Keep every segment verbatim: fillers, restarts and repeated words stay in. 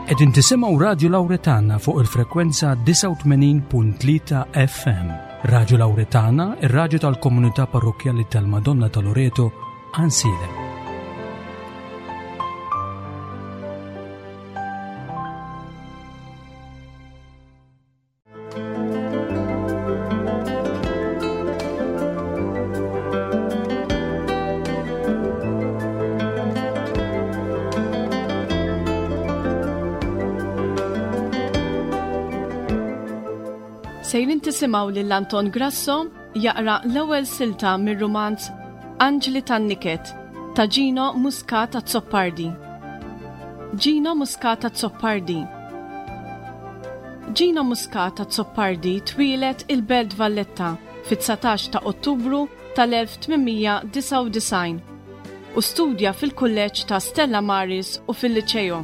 Qegħdin tisimgħu Radju Lawretana fuq il-frekwenza disgħa u tmenin punt tlieta F M. Radju Lawretana, ir-radju tal-komunità parrokkjali tal-Madonna ta' Loreto, Għajnsielem. Sejrin tisimgħu lil Anton Grasso jaqra l-ewwel silta mir-rumanz Anġli tan-Niket ta' Gino Muscat Azzopardi. Gino Muscat Azzopardi. Gino Muscat Azzopardi twieled il-Belt Valletta fit-dsatax ta' Ottubru tal-elf tmien mija disgħa u disgħin u studja fil-kulleġġ ta' Stella Maris u fil-Liċeo.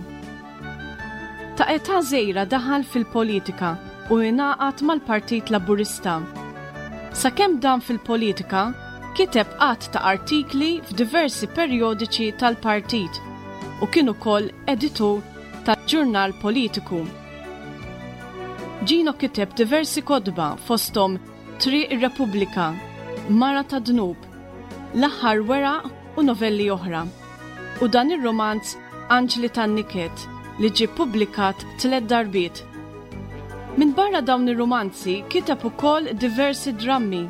Ta' età żgħira daħal fil-politika u ingħaqad mal-Partit Laburista. Sakemm dan fil-politika, kiteb għadd ta' artikli f'diversi perjodiċi tal-partit u kien ukoll editur tal-ġurnal politiku. Gino kiteb diversi kotba fosthom Triq ir-Repubblika, Mara ta' Dnub, L-Aħħar Weraq u novelli oħra. U dan ir-romanz Anġli tan-Niket li ġie ppubblikat tliet darbiet. Minn barra dawn ir-romanzi kiteb ukoll diversi drammi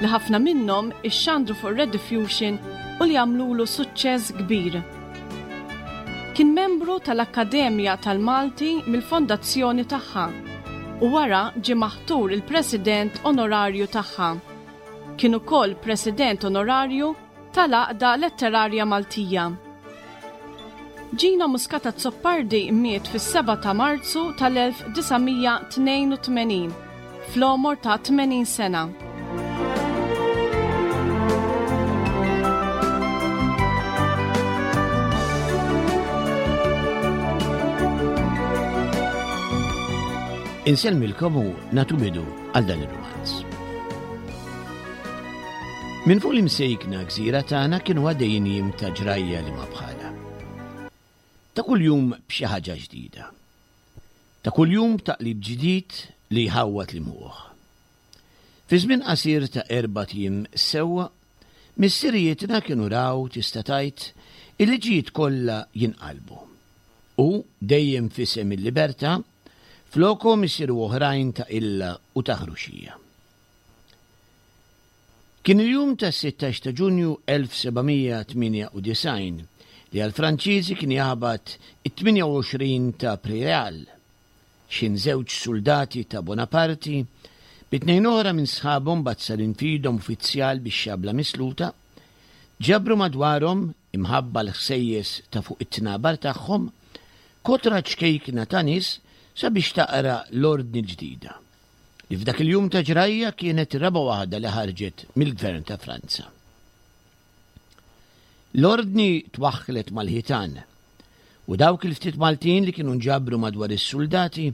li ħafna minnhom ixxandru fuq Rediffusion u li għamlulu suċċess kbir. Kien membru tal-Akkademja tal-Malti mill-fondazzjoni tagħha u wara ġie maħtur il-President Onorarju tagħha. Kien ukoll President Onorarju tal-Għaqda Letterarja Maltija. Gino Muscat Azzopardi miet fis-seba ta' Marzu tal-elf disa' mija tnejn u tmenin fl-għomor ta' tmenin sena. Insellmilkom u nagħtu bidu għal dan ir-romanz. Minn fuq l-imsejkna gżira tagħna kienu għaddejjin jiem ta' ġrajja li ma bħalha. Ta' kuljum b'xi ħaġa ġdida. Ta' kuljum taqlib ġdid li jħawwad l-imħuħ. Fi żmien qasir ta' erba' ijiem sewwa, missirijietna kienu raw tista' tgħid il-liġijiet kollha jinqalbu. U dejjem f'isem il-libertà, flokhom isiru oħrajn ta' illa u ta' ħruxija. Kien il-jum ta' sittax ta' Ġunju elf seba' mija tmienja u disgħin li għall-Franċiżi kien jaħbat it-tmienja u għoxrin ta' Prairial. X'in żewġ soldati ta' Bonaparte bi tnejn oħra minn sħabhom bazzarin f'idhom uffiċjal bix-xabla misluta, ġabru madwarhom imħabba l-ħsejjes ta' fuq it-tnabar tagħhom kotra ċkejkna ta' nies sabiex taqra l-ordni ġdida, li f'dak il-jum ta' ġrajja kienet ir-raba' waħda li ħarġet mill-Gvern ta' Franza. L-ordni twaħħlet mal-ħitan u dawk il-ftit Maltin li kienu nġabru madwar is-soldati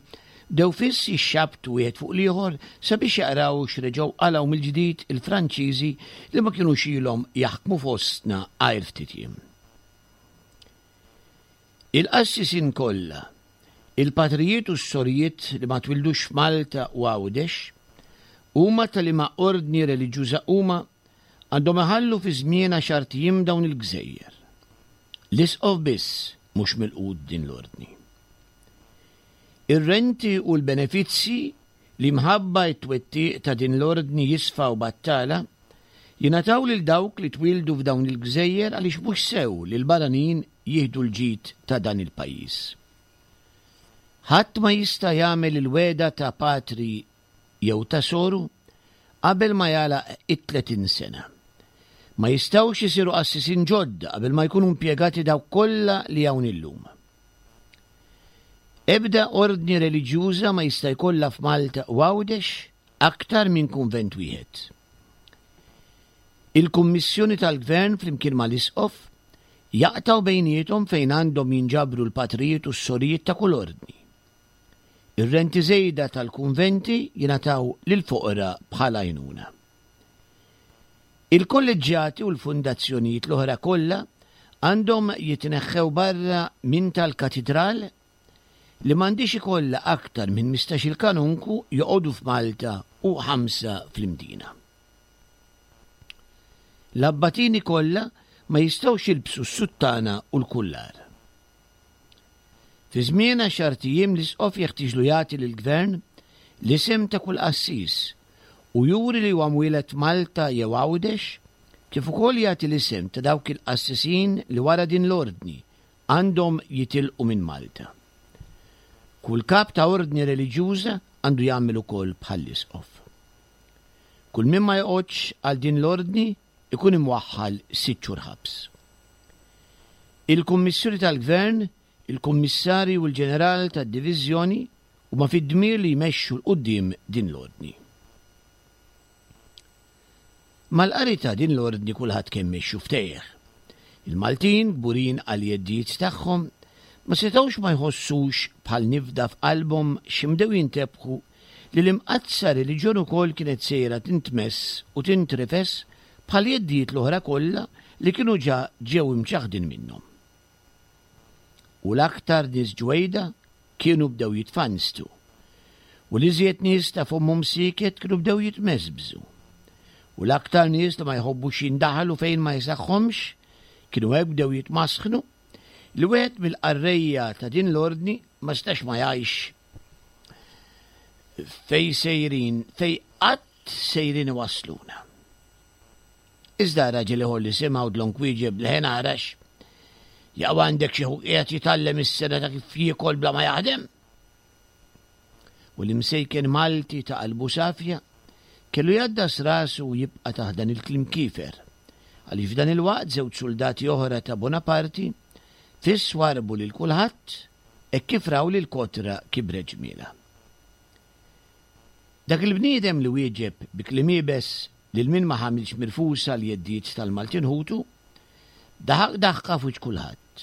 bdew fiss jixxabtu wieħed fuq l-ieħor sabiex jaqraw x'reġgħu qalgħu mill-ġdid il-Franċiżi li ma kinux ilhom jaħkmu fostna għajr ftit jiem. Il-qassisin kollha, il-patrijiet u s-sorijiet li ma twildux f'Malta u Għawdex, huma tal-liema ordni reliġjuża huma għandhom iħallu fi żmien għaxar ijiem dawn il-gżejjer. L-isqof biss mhux milqud din l-ordni. Ir-renti u l-benefizzi li mħabba t-twettiq ta' din l-ordni jisfaw battala jingħataw lil dawk li twildu f'dawn il-gżejjer għaliex mhux sew li l-barranin jieħdu l-ġid ta' dan il-pajjiż. Ħadd ma jista' jagħmel il-wegħda ta' patri jew ta' soru qabel ma jagħlaq it-tletin sena. Ma jistgħux isiru qassisin ġodda qabel ma jkunu impjegati dawk kollha li hawn illum. Ebda ordni reliġjuża ma jista' jkollha f'Malta u Għawdex aktar minn kunvent wieħed. Il-Kummissjoni tal-Gvern flimkien mal-Isqof jaqtgħu bejniethom fejn għandhom jinġabru l-patrijiet u s-sorijiet ta' kull ordni. Ir-renti żejda tal-kunventi jingħataw lill-foqra bħala għajnuna. Il-kolleġġjati u l-fundazzjonijiet l-oħra kollha għandhom jitneħħew barra minn tal-katidral li m'għandix ikollha aktar minn mistax-il kanunku joqogħdu f'Malta u ħamsa fl-Imdina. L-abbatini kollha ma jistgħux jilbsu s-suttana u l-kullar. Fi żmien għaxart ijiem l-isqof jeħtieġlu jagħti lill-gvern l-isem ta' kull qassis u juri li huwa mwieled Malta jew Għawdex, kif ukoll jagħti l-isem ta' dawk il-qassisin li wara din l-ordni għandhom jitilqu minn Malta. Kull kap ta' ordni reliġjuża għandu jagħmel ukoll bħall-isqof. Kull min ma joqgħodx għal din l-ordni ikun imwaħħal sitt xhur ħabs. Il-Kummissjoni tal-Gvern, il-Kummissarju u l-Ġeneral tad-Diviżjoni huma fid-dmir li jmexxu 'l quddiem din l-ordni. Mal-qari ta' din l-ordni kulħadd kemmex xuftejh. Il-Maltin, kburin għall-jeddijiet tagħhom, ma setgħux ma jħossux bħal nifda f'qalbhom x'imdew jintebħu li l-imqaddsa reliġjon ukoll kienet sejra tintmess u tintrifes bħal jeddijiet l-oħra kollha li kienu ġa ġew imċaħħdin minnhom. U l-aktar nies ġwejda kienu bdew jitfanstu, u l-iżjed nies ta' fommhom sieket kienu bdew jitmeżbżu, u l-aktar nies li ma jħobbux jindaħlu fejn ma jisaħħomx kienu hekk bdew jitmasħnu li wieħed mill-qarrejja ta' din l-ordni ma stax ma jgħix fej sejrin, fej qatt sejrin iwassluna. Iżda raġel ieħor li simgħu dlonk wieġeb leħen arax, jaqgħu għandek xi qiegħed jitgħallem is-sena ta' kif jiekol bla ma jaħdem. U l-imsejken Malti ta' qalbu safja kellu jgħaddas rasu u jibqa' taħt dan il-kliem kiefer, għaliex f'dan il-waqt żewġ soldati oħra ta' Bonaparti fiss warbu lil kulħadd hekk kif raw li l-kotra kibret ġmielha. Dak il-bniedem li wieġeb bi kliem iebes lil min ma ħamilx mirfusa l-jeddijiet tal-Maltin ħutu, daħaq daħqa f'wiċċ kulħadd.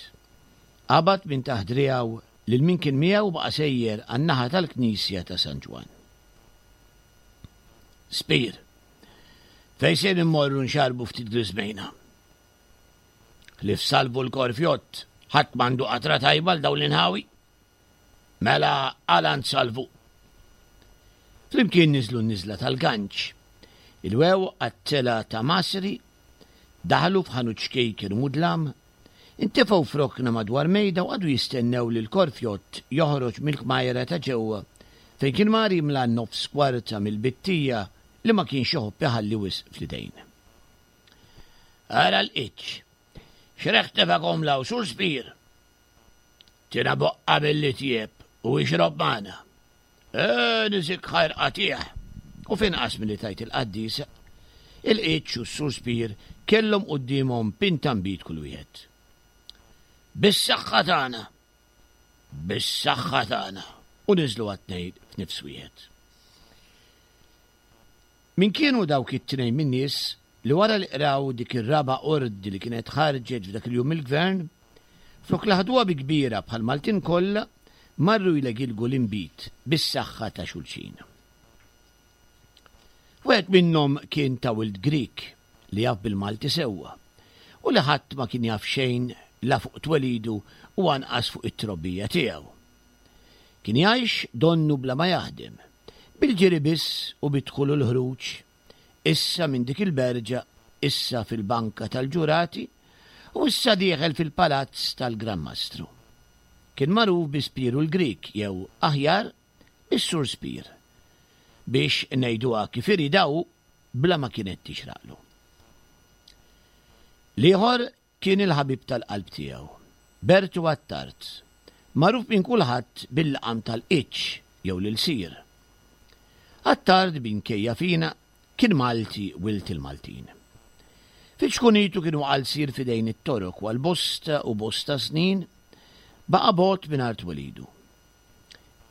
Qabad minn taħt driegħu lil min kien miegħu baqa' sejjer għan-naħa tal-Knisja ta' San Ġwann. Spir, fejn se immorru nxarbu ftit griżmejna? Ħlief Salvu l-Korfjott, ħadd m'għandu qatra tajba l dawn l-inħawi. Mela għal għand Salvu. Flimkien niżlu n-niżla tal-Ganċ. Il-wew għat-tela ta' Masri, daħlu f'ħanut ċkejken mudlam, intefgħu f'rokna madwar mejda u qagħdu jistennew li l-Korfjott joħroġ mill-kmajra ta' ġewwa fejn kien mar jimla nofs kwarta mill-bittija li ma kienx iħobb iħalli wisq fl-idejn. Ara l-qiċ, x'reħ tefakom law sur Spir. Tina boqqa billi tjieb u ixrob magħna. E, nizik ħajr qatih. U finqas milli tajt il-qaddisa, il-qiċ u s-sur Spir kellhom quddiemhom pinta nbid kull wieħed. Bis-saħħa tagħna, bis-saħħa tagħna, u niżlu għat-tnejn f'nifs wieħed. Min kienu dawk it-tnejn min-nies li wara li qraw dik ir-raba' ordni li kienet ħarġet f'dak il-jum mill-gvern, flok laħduha bi kbira bħal Maltin kollha, marru jlegilgu l-inbid bis-saħħa ta' xulxin. Wieħed minnhom kien ta' wild Grieg li jaf bil-Malti sewwa u li ħadd ma kien jaf xejn la fuq twelidu u anqas fuq it-trobbija tiegħu. Kien jgħix donnu bla ma jaħdem, bil-ġiri biss u bid-dħul u l-ħruġ, issa minn dik il-berġa, issa fil-banka tal-ġurati u issa dieħel fil-palazz tal-Gran Mastru. Kien magħruf bi Spiru l-Grieg jew aħjar bis-Sur Spir, biex ngħiduha kif iridha hu bla ma kienet tixraqlu. L-ieħor kien il-ħabib tal-qalb tiegħu, Bertu Attard, magħruf minn kulħadd bil-laqam tal-Qiċ jew l-Ilsir. Attard minkejja fina kien Malti wild il-Maltin. Fi ċkunitu kienu għal sir fidejn it-Torok u għal bosta u bosta snin baqa' bogħod minn art welidu.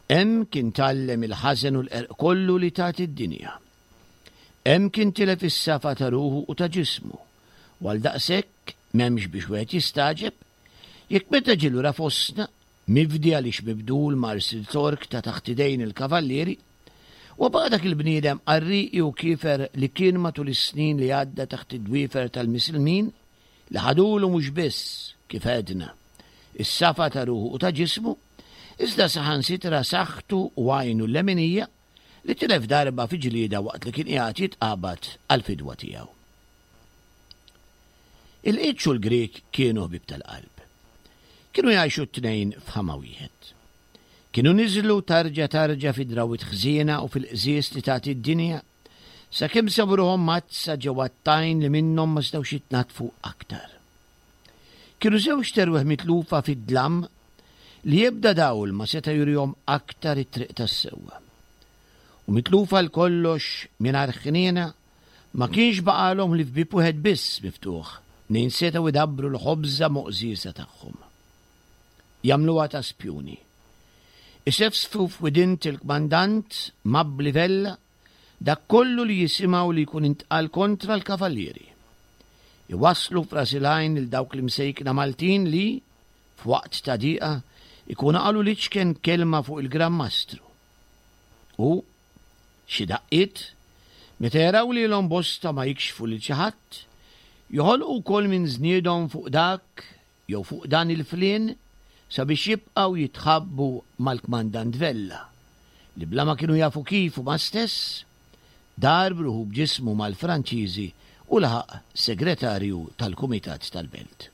Hemm kien tgħallem il-ħażen u l-qerq kollu li tagħti d-dinja. Hemm kien tilef is-safa ta' ruħu u ta' ġismu, u għal daqshekk m'hemmx biex wieħed jistagħġeb jekk meta ġie lura fostna, mifdi għaliex mibdul mar sil Tork ta' taħt idejn il-kavallieri, u baqa' dak il-bniedem qarrieqi u kiefer li kien matul is-snin li għadda taħt id-dwiefer tal-Misilmin li ħadulu mhux biss, kif għedna, is-safa ta' ruħu u ta' ġismu, iżda saħansitra saħħtu u għajnu l-leminija li tilef darba fi ġlieda waqt li kien qiegħed jitqabad għall-fidwa tiegħu. Il-Qiċ u l-Grieg kienu ħbieb tal-qalb. Kienu jgħixu t-tnejn f'ħama wieħed. Kienu niżlu tarġa tarġa fi drawwiet ħżiena u fil-qżież li tagħti d-dinja, sakemm sabu ruħhom mgħaddsa ġewwa t-tajn li minnhom ma setgħux jitnaddfu aktar. Kienu żewġt erwieħ mitlufa fid-dlam li ebda dawl ma seta' jurihom aktar it-triq tas-sewwa. U mitlufa għal kollox mingħajr ħniena, ma kienx baqgħalhom ħlief bieb wieħed biss miftuħ mnejn setgħu jdabbru l-ħobża moqżieża tagħhom. Jagħmluha ta' spjuni. Isefsfu f'widint il-kmandant Mabli Vella dak kollu li jisimgħu li jkun intqal kontra l-kavallieri. Iwasslu f'ras il-għajn lil dawk l-imsejkna Maltin li, f'waqt ta' diqa, ikunu qalu l-iċken kelma fuq il-Gran Mastru. U, xi daqqiet, meta jaraw lilhom bosta ma jikxfu lil xi ħadd, joħolqu wkoll minn żniedhom fuq dak jew fuq dan il-flien sabiex jibqgħu jitħabbu mal-Kmandant Vella, li bla ma kienu jafu kif huma stess, dar b'ruħu b'ġismu mal-Franċiżi u laħaq segretarju tal-Kumitat tal-Belt.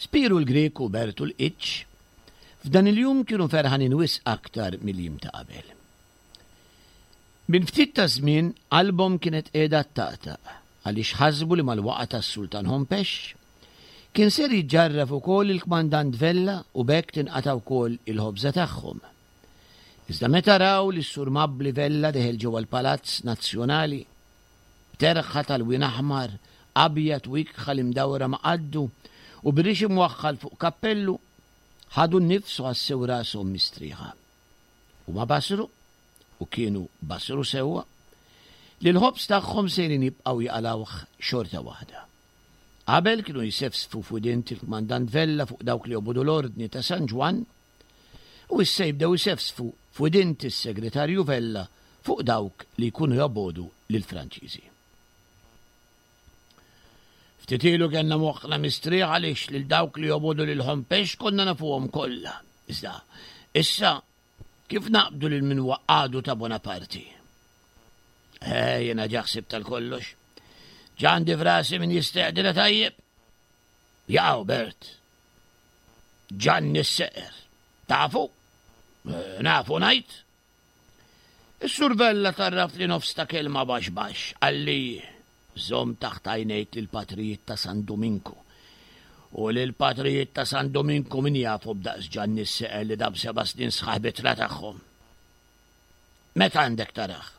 Spiru l-Grieg u Bertu l-Qiċ f'dan il-jum kienu ferħanin wisq aktar mill-jiem ta' qabel. Minn ftit ta' żmien qalbhom kienet qiegħda ttaqtaq għaliex ħasbu li mal-waqgħa tas-Sultan Hompesch kien ser jiġġarraf ukoll il-Kmandant Vella u b'hekk tinqata' wkoll il-ħobża tagħhom. Iżda meta raw li s-Sur Mabli Vella deħel ġewwa l-Palazz Nazzjonali, b'terħa tal-wien aħmar, abjad u ikħal imdawra ma' qaddu u b'rix imwaħħal fuq kappellu, ħadu n-nifs u ħassew rashom mistrieħa. Huma basru, u kienu basru sewwa, li l-ħobż tagħhom sejrin jibqgħu jaqalgħuh xorta waħda. Qabel kienu jsefsfu f'widint il-Kmandant Vella fuq dawk li jobogħdu l-ordni ta' San Ġwann, u issa jibdew isefsfu f'widint is-Segretarju Vella fuq dawk li jkunu jobogħdu lill-Franċiżi. Ftit ilu kellna moħħna mistrieħ għaliex lil dawk li jobogħdu lil Hompesch konna nafuhom kollha. Iżda issa kif naqbdu lil min huwa għadu ta' Bonaparti? Eh, jiena ġa ħsibt tal-kollox. Ġa għandi f'rasi min jistaqdilha tajjeb. Jaqaw, Bert. Ġanni s-seqer. Tafu? Eh, nafu ngħid. Is-Sur Vella tarraf li nofs ta' kelma baxx baxx, qalli żomm taħt għajnejk lill-patrijiet ta' San Duminku. U lill-patrijiet ta' San Duminku min jafu b'daqs Ġanni s-seqer li dam seba' snin sħaħ bitra tagħhom. Meta għandek taraħ?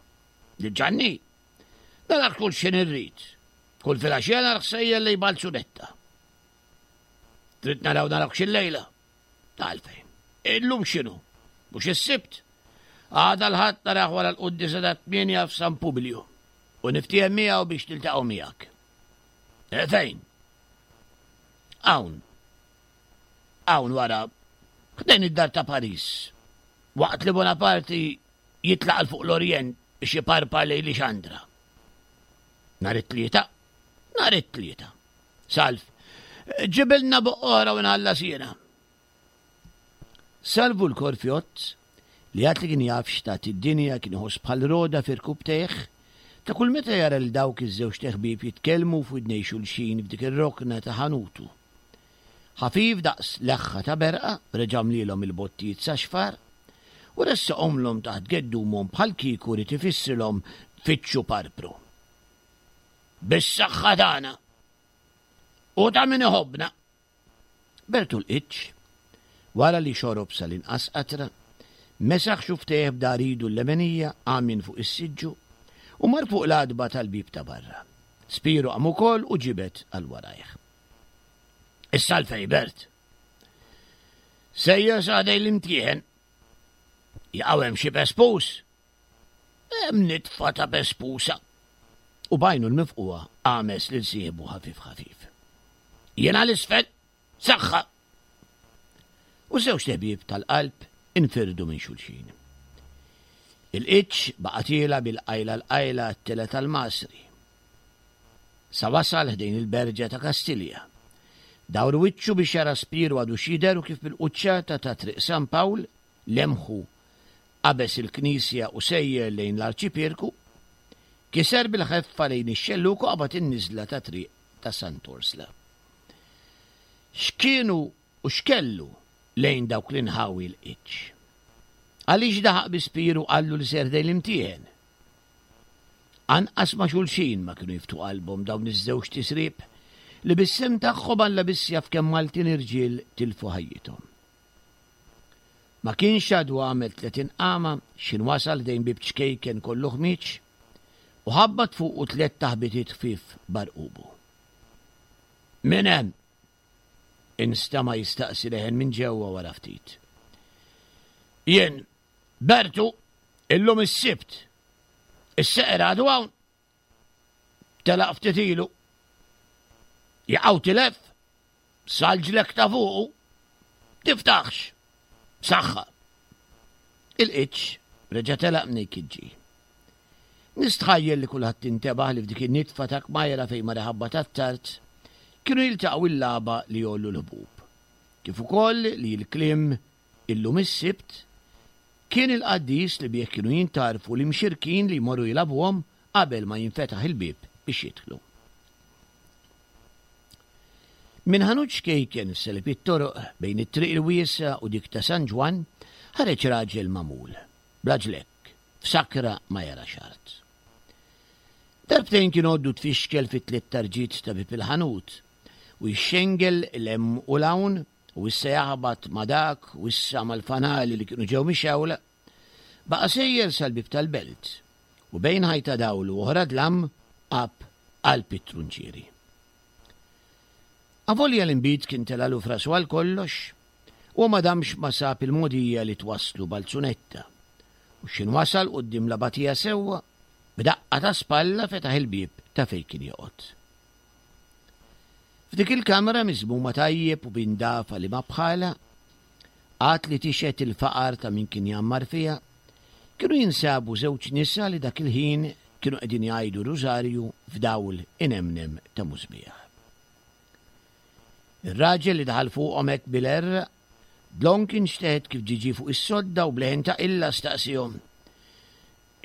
Lil Ġanni? Narah kull x'ħin irrid. Kull filgħaxija narah sejjer lejn Balzunetta. Trid naraw narawk xi lejla? Għalfejn. Illum x'inhu? Mhux is-Sibt? Għada l-Ħadd narah wara l-quddiesa ta' tmienja f'San Publiju u niftiehem miegħu biex niltaqgħu miegħek. E, fejn? Hawn. Hawn wara, ħdejn id-dar ta' Paris. Waqt li Bonaparti jitlaq 'l fuq l-Orjent biex jiparpar lejn Lixandra. Nhar it-Tlieta? Nhar it-Tlieta. Salv, ġibilna boqq oħra u nħallas jiena. Salvu l-Korfjott, li għad li kien jaf x'tagħti d-dinja kien iħoss bħal roda fi rkubtejh, ta' kull meta jara lil dawk iż-żewġt iħbieb jitkellmu f'widnej xulxin f'dik ir-rokna ta' ħanutu. Ħafif daqs leħħa ta' berqa reġa' mlielhom il-bottijiet sa xfar u ressaqhomlhom taħt geddumhom bħal kieku ried ifissrilhom fittxu parpru. Bis-saħħa tagħna u ta' min iħobbna. Bertu l-Qiċċ, wara li xorob sal-inqas qatra, mesaħ xufftejh b'dahar idu l-lemenija, qam minn fuq is-siġġu u mar fuq l-għatba tal-bieb ta' barra. Spiru qam ukoll u ġibed għal warajh. Issa għalfejn, Bert? Sejjer sa ħdejn l-imtieħen. Jaqaw hemm xi pespus? Hemm nitfa ta' pespusa. U b'għajnu l-mifqugħa għames lil sieħbu ħafif ħafif. Jiena l-isfel, saħħa! U żewġ ħbieb tal-qalb infirdu minn xulxin. Il-qiċ baqa' tiela' bil-qajla l-qajla għat-tela tal-Masri. Sa wasal ħdejn il-berġa ta' Kastilja, Dawru wiċċu biex jara Spiru għadu xider u kif bil-quċċata ta' Triq San Pawl lemħu qabeż il-knisja u sejjer lejn l-Arċipierku, kiser bil-ħeffa lejn ix-xellug u qabad in-niżla ta' triq ta' Sant'Orsla. X'kienu u x'kellu lejn dawk l-inħawi l-qiċ? Għaliex daħaq bi Spiru qallu li ser ħdejn l-imtieħen? Anqas ma' xulxin ma kienu jiftu qalbhom dawn iż-żewġ tisrib li bis-sehem tagħhom Alla biss jaf kemm Maltin irġiel tilfu ħajjithom. Ma kienx għadu għamel tletin qama x'ħin wasal ħdejn bieb ċkejken kollu ħmieġ u ħabbat fuqu tliet taħbitiet ħfief b'għarqubu. Min hemm? Instama' jistaqsi leħen minn ġewwa wara ftit. Jien, Bertu, illum is-Sibt. Is-seqer għadu hawn? Telaq ftit ilu. Jaqaw tilef? Salġlek ta' fuqu. Tiftaħx. Saħħa. Il-qiċ reġa' telaq minn kiġġi. Nistħajjel li kulħadd intebaħ li f'dik in-nitfa ta' kmajra fejn mar iħabbat għat-tard kienu jiltaqgħu il-lagħba li jgħollu l-ħbub. Kif ukoll li l-kliem illum is-Sibt kien il-qaddis li bih kienu jintgħarfu l-imxirkin li jmorru jilagħbuhom qabel ma jinfetaħ il-bieb biex jidħlu. Minn ħanut ċkejken f'selib it-toroq bejn it-triq il-wiesgħa u dik ta' San Ġwann ħareġ raġel magħmul, bla ġlekk, f'sakra ma jarax art. Darbtejn kien għoddu tfixkel fit-tliet tarġiet ta' bieb il-ħanut u jixxengel 'l hemm u 'l hawn u issa jaħbat ma' dak u issa mal-fanali li kienu ġew mixgħula. Baqa' sejjer sal-bieb tal-belt u bejn ħajta dawl u oħra dlam qab qalb it-trunċieri. Avolja l-inbid kien telgħalu f'rasu għal kollox, huwa ma damx ma sab il-mogħdija li twasslu Balzunetta, u x'ħin wasal quddiem l-abatija sewwa, b'daqqa ta' spalla fetaħ il-bieb ta' fejn kien joqgħod. F'dik il-kamra miżmuma tajjeb u b'indafa li ma bħalha, għad li tixhed il-faqar ta' min kien jgħammar fiha, kienu jinsabu żewġ nisa li dak il-ħin kienu qegħdin jgħidu rużarju f'dawl inemnem ta' musbieħ. Ir-raġel li daħal fuqhom hekk bil-għerraq, dlonk inxteħet kif ġie ġie fuq is-sodda u b'leħen ta' qilla staqsiehom,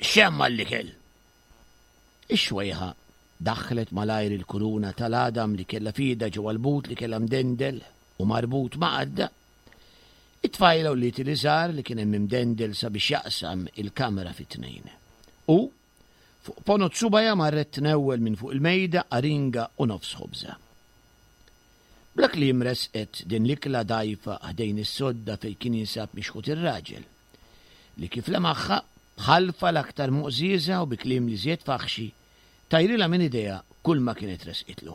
X'hemm għall-ikel? Ix-xwejħa daħħlet malajr il-kuruna tal-għadam li kellha f'idha ġewwa l-but li kellha mdendel u marbut ma' qaddha. It-tfajla għolliet il-iżar li kien hemm imdendel sabiex jaqsam il-kamra fi tnejn. U, fuq ponot subgħajha marret tnewwel minn fuq il-mejda aringa u nofs ħobża. Bla kliem resqet din l-ikla dgħajfa ħdejn is-sodda fejn kien jinsab mixħut ir-raġel, li kif lemaħha, b'ħalfa l-aktar moqżieża u bi kliem l-iżjed faħxi, tajrilha minn idejha kulma kienet resqitlu.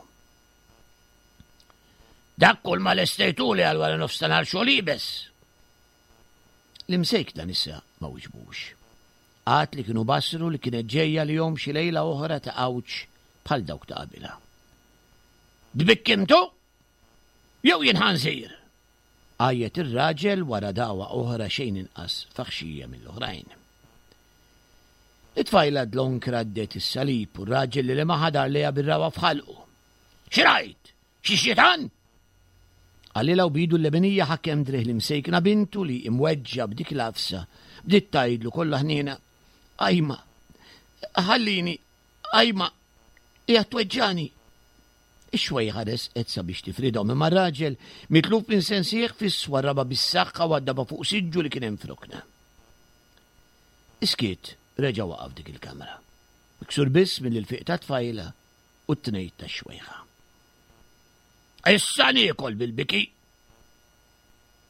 Dak kulma lestejtuli għal wara nofstanhar xogħol iebes! L-imsejkna nisa ma wiġbux. Għad li kienu basru li kienet ġejja għalihom xi lejla oħra ta' għawġ bħal dawk ta' qabilha. Tbikkimtu? Jew jien ħanżir! Għajjet ir-raġel wara dagħwa oħra xejn inqas faħxija mill-oħrajn. It-tfajla dlonk raddet is-salib u r-raġel li lemaħha dar lejha bir-ragħwa f'ħalqu. X'rajt? Xi xitan? Qalilha u b'idu l-leminija ħakem driegħ l-imsejkna bintu li, imweġġgħa b'dik l-għafsa, bdiet tgħidlu kollha ħniena, Ajma, ħallini, ajma, qiegħed tweġġagħni. Ix-xwejħa resqet sabiex tifridhom imma r-raġel, mitluf minn sensih, fiss warrabha bis-saħħa u għaddabha fuq siġġu li kien hemm f'rokna. Is-skiet reġa' waqa' f'dik il-kamra, miksur biss mill-ilfiq tat-tfajla u t-tnejt tax-xwejħa. Issa niekol bil-biki!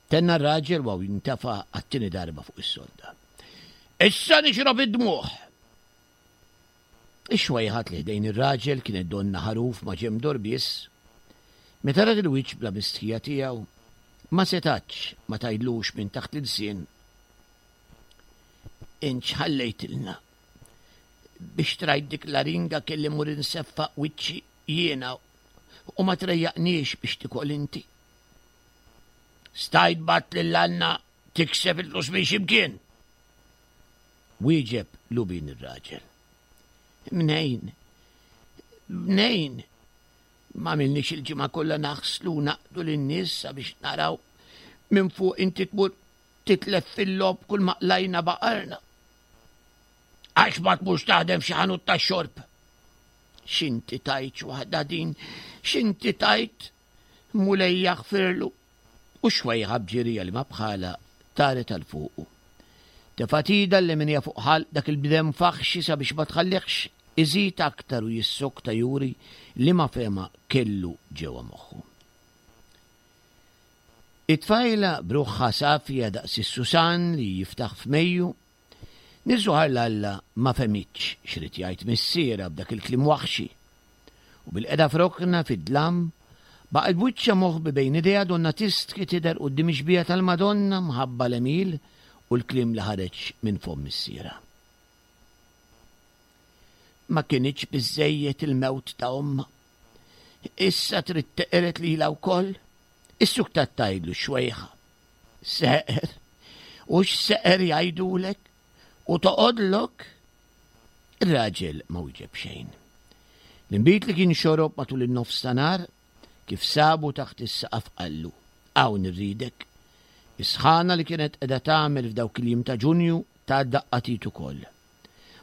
Tenna r-raġel waw jintefa' għat-tieni darba fuq is-sodda. Issa nixrob id-dmugħ! Ix-xwejħat li ħdejn ir-raġel kienet donnha ħaruf ma' ġenb dorbies. Meta rat il-wiċċ bla mistħija tiegħu, ma setgħetx ma tgħidlux minn taħt l-ilsien, Int x'ħallejtilna? Biex trajt dik l-aringa kelli mmur inseffaq wiċċi jiena u ma trejjaqniex biex tikol inti. Stajt bgħatt lil Anna tikseb il-flus minn xi mkien. Wieġeb lubin ir-raġel. Mnejn? Mnejn? M'għamilniex il-ġimgħa kollha naħslu u naqdu lin-nies sabiex naraw minn fuq inti tmur titlef fil-logħob kull ma qlajna baqarna. Għax ma tmurx taħdem f'xi ħanut tax-xorb. X'inti tajt waħda din, x'inti tajt Mulej jaħfirlu. U xwejħa b'ġirija li ma bħala taret għal fuqu. Tefgħet idha l-leminija fuq ħalq dak il-bdem faħxi sabiex ma tħallihx iżid aktar u jissokta juri liema fehma kellu ġewwa moħħu. It-tfajla b'ruħha safja daqs is-susan li jiftaħ f'Mejju, niżżuħar l-Alla ma fehmitx x'ried jgħid missierha b'dak il-kliem waħxi. U bilqiegħda f'rokna fid-dlam, baqgħet b'wiċċha moħbi bejn idejha donnha tistħi tidher quddiem ix-xbieha tal-Madonna mħabba l-għemil u l-kliem li ħareġ minn fomm missierha. Ma kinitx biżżejjed il-mewt ta' ommha. Issa trid teqred lilha wkoll? Issuktat tgħidlu x-xwejħa. Seqer. U x'seqer jgħidulek? U toqgħodlok? Ir-raġel ma wieġeb xejn. L-inbid li kien xorob matul in-nofs ta' nhar, kif sabu taħt is-saqaf qallu, Hawn irridek. Is-sħana li kienet qiegħda tagħmel f'dawk il-jiem ta' Ġunju tat daqqa t'id ukoll.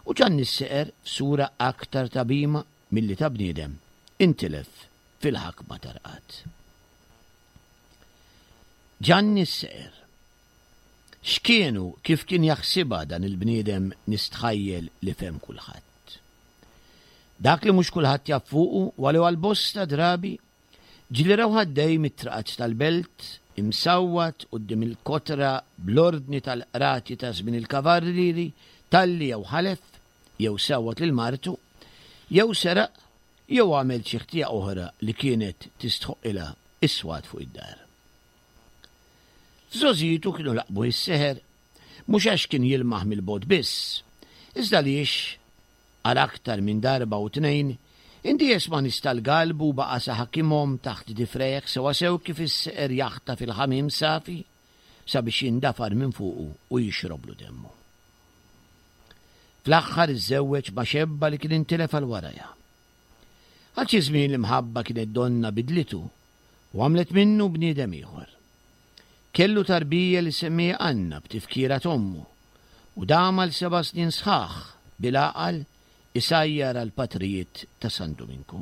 U Ġanni s-Seqer f'sura aktar ta' bhima milli ta' bniedem intilef fil-ħakma ta' rqad. Ġanni s-Seqer. X'kien u kif kien jaħsibha dan il-bniedem nistħajjel li fehem kulħadd. Dak li mhux kulħadd jaf fuqu huwa li għal bosta drabi ġieli rawh għaddej mit-traqat tal-belt imsawwat quddiem il-kotra bl-ordni tal-qrati ta' żmien il-kavallieri talli jew ħalef jew sawwat lil martu jew seraq jew għamel xi ħtija oħra li kienet tistħoqqilha s-swat fuq id-dar. F'żgħożitu kienu laqbuh is-seħer mhux għax kien jilmaħ mill-bogħod biss, iżda għaliex Għal aktar minn darba u tnejn, indies ma' nies tal-galbu u baqa' sa ħakimhom taħt difrejh sewwasew kif is-seqer jaħtaf il-ħamiem safi sabiex jindafar minn fuqu u jixroblu demmu. Fl-aħħar iżżewweġ ma' xebba li kien intilef għal warajha. Għal xi żmien l-imħabba kienet donnha bidlitu u għamlet minnu bniedem ieħor. Kellu tarbija li semmieha Anna b'tifkira t'ommu u dam għal seba' snin sħaħ bil-għaqal isajjar għall-patrijiet ta' San Duminku.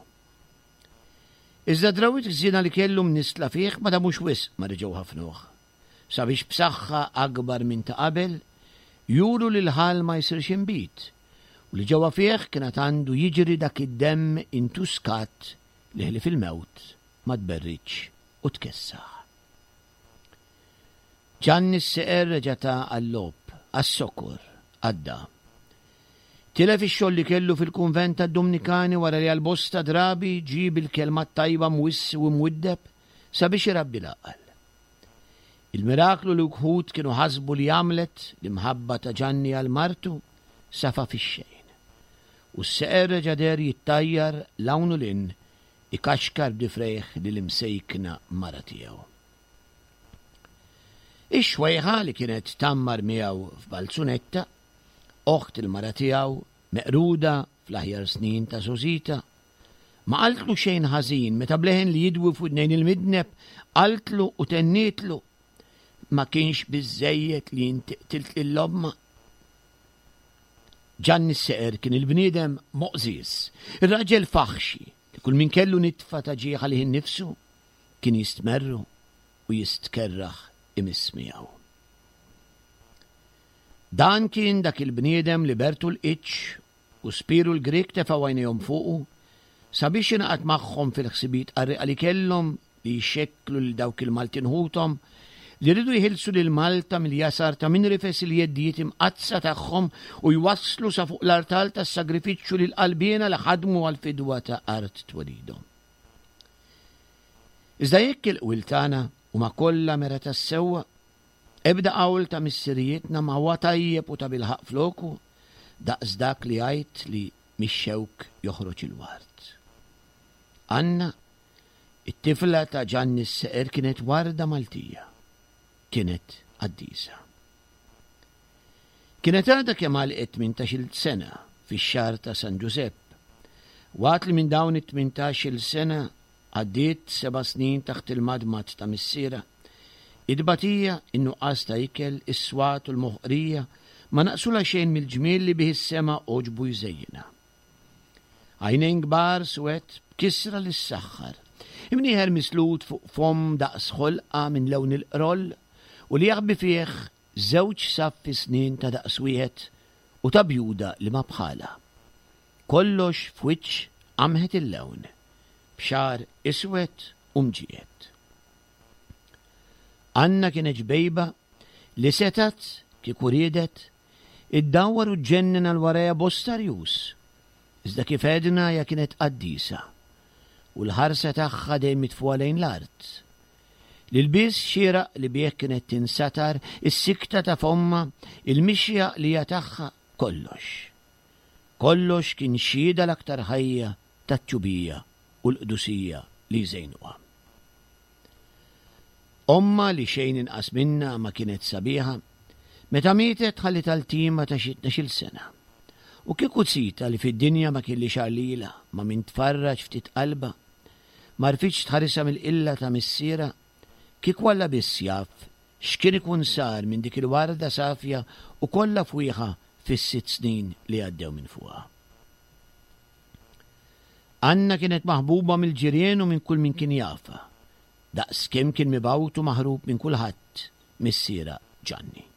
Iżda d-drawwiet ħżiena li kellu mnissla fih ma damux wisq ma reġgħu ħafnuh, sabiex b'saħħa akbar minn ta' qabel juru li l-ħall ma jsirx inbid u li ġewwa fih kien għad għandu jiġri dak id-demm intuskat li ħlief il-mewt ma tberridx u tkessaħ. Ġanni s-seqer reġa' ta għal-logħob, għas-sokor, għadda. Tilef ix-xogħol li kellu fil-kunvent tad-Dumnikani wara li għal bosta drabi ġie bil-kelma t-tajba mwissi u mwiddeb sabiex irabbi l-għaqal. Il-miraklu li wħud kienu ħasbu li għamlet l-imħabba ta' Ġanni għal martu safa fix-xejn. U s-seqer reġa' deher jittajjar 'l hawn u 'l hinn ikaxkar b'difrejh lill-imsejkna mara tiegħu. Ix-xwejħa li kienet tgħammar miegħu f'Balzunetta, oħt il-mara tiegħu, meqruda fl-aħjar snin ta' żgħożitha, ma qaltlu xejn ħażin meta b'leħen li jidwi f'widnejn il-midneb qaltlu u tennietlu, Ma kienx biżżejjed li inti qtilt lil ommha? Ġanni s-Seqer kien il-bniedem moqżież, ir-raġel faħxi li kull min kellu nitfa ta' ġieħ għalih innifsu kien jistmerru u jistkerrah imiss miegħu. Dan kien dak il-bniedem li Bertu l-Qiċċ u Spiru l-Grieg tefgħu għajnejhom fuqu sabiex jingħaqad magħhom fil-ħsibijiet qarrieqa li kellhom li jxekklu lil dawk il-Maltin ħuthom li riedu jħilsu lil Malta mill-jasar ta' min rifes il-jeddijiet imqaddsa tagħhom u jwasslu sa fuq l-artal tas-sagrifiċċju lill-qalbiena li ħadmu għall-fidwa ta' art twelidhom. Iżda jekk il-qwiel tagħna huma kollha mera tas-sewwa, ebda qawl ta' missirijietna ma huwa tajjeb u tabilħaqq floku daqs dak li jgħid li mix-xewk joħroġ il-ward. Anna, it-tifla ta' Ġanni s-Seqer kienet warda Maltija. Kienet qaddisa. Kienet għadha kemm għalqet tmintax-il sena fix-xahar ta' San Ġużepp. Waqt li minn dawn it-tmintax-il sena Għaddiet seba' snin taħt il-madmad ta' missierha. It-tbatija, in-nuqqas ta' ikel, is-swat u l-moħqrija ma naqsulha xejn mill-ġmiel li bih is-sema għoġbu jżejjinha. Għajnejn kbar suwed b'kisra li ssaħħar, imnieħer mislut fuq fomm daqs ħolqa minn lewn il-qroll u li jaħbi fih żewġ saffi snien ta' daqs wieħed u ta' bjuda li ma bħalha. Kollox f'wiċċ qamħet il-lewn, b'xagħar iswed u mġiegħed. Anna kienet ġbejba li setgħet, kieku riedet, iddawwar u ġġennen għal warajha bosta rjus. Iżda kif għedna hija kienet qaddisa u l-ħarsa tagħha dejjem mitfugħa lejn l-art. L-ilbies xieraq li bih kienet tinsatar, is-sikta ta' fommha, il-mixja għaqlija tagħha, kollox. Kollox kien xhieda l-aktar ħajja tat-tjubija u l-qdusija li jżejnuha. Ommha li xejn inqas minnha ma kienet sabiħa, meta mietet ħalliet ltima ta' xi tnax-il sena. U kieku zita li fid-dinja ma kellhiex għar lilha ma' min tfarraġ ftit qalbha, ma rfitx tħarisha mill-qilla ta' missierha, kieku Alla biss jaf x'kien ikun sar minn dik il-warda safja u kollha fwieħa fis-sitt snin li għaddew minn fuqha. Anna kienet maħbuba mill-ġirien u minn kull min kien jafha, daqs kemm kien mibgħut u maħrub minn kulħadd missierha Ġanni.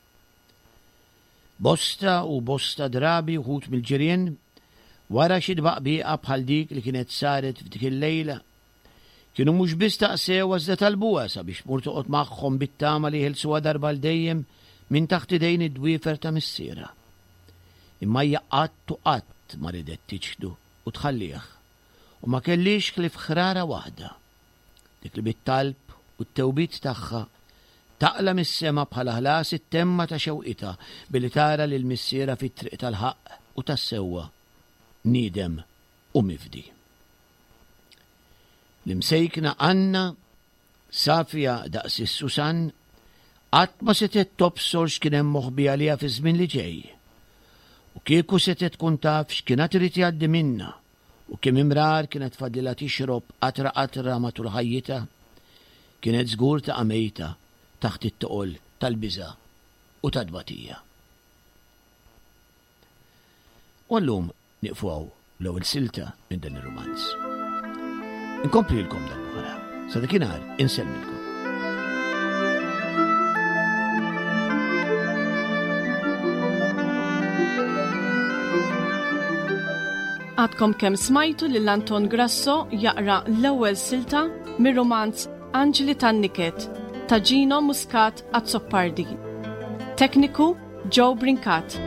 Bosta u bosta drabi wħud mill-ġirien, wara xi tbaqbiqa bħal dik li kienet saret f'dik il-lejla, kienu mhux biss staqsewha iżda talbuha sabiex tmur toqgħod magħhom bit-tama li jeħilsuha darba għal dejjem minn taħt idejn id-dwiefer ta' missierha. Imma hija qatt u qatt ma ridet tiċħdu u tħallih, u ma kellhiex ħlief ħrara waħda, dik li bit-talb u t-tewbiet tagħha taqla' mis-sema bħala ħlas it-temma ta' xewqitha billi tara lil missierha fit-triq tal-ħaqq u tas-sewwa, niedem u mifdi. L-imsejkna Anna, safja daqs is-Susan, qatt ma setgħet tobsor x'kien hemm moħbi għaliha fiż-żmien li ġej. U kieku setgħet tkun taf x'kien għad irid jgħaddi minnha u kemm imrar kienet fadlilha tixrob qatra qatra matul ħajjitha, kienet żgur taqa' mejta taħt it-toqol tal-biża' u tat-tbatija. U llum nieqfu hawn l-ewwel silta minn dan ir-rumanz. Inkomplilkom darb'oħra. Sa dakinhar insellmilkom. Għadkom kemm smajtu lil Anton Grasso jaqra l-ewwel silta mir-rumanz Anġli tan-Niket ta' Gino Muscat Azzopardi. Tekniku Joe Brincat.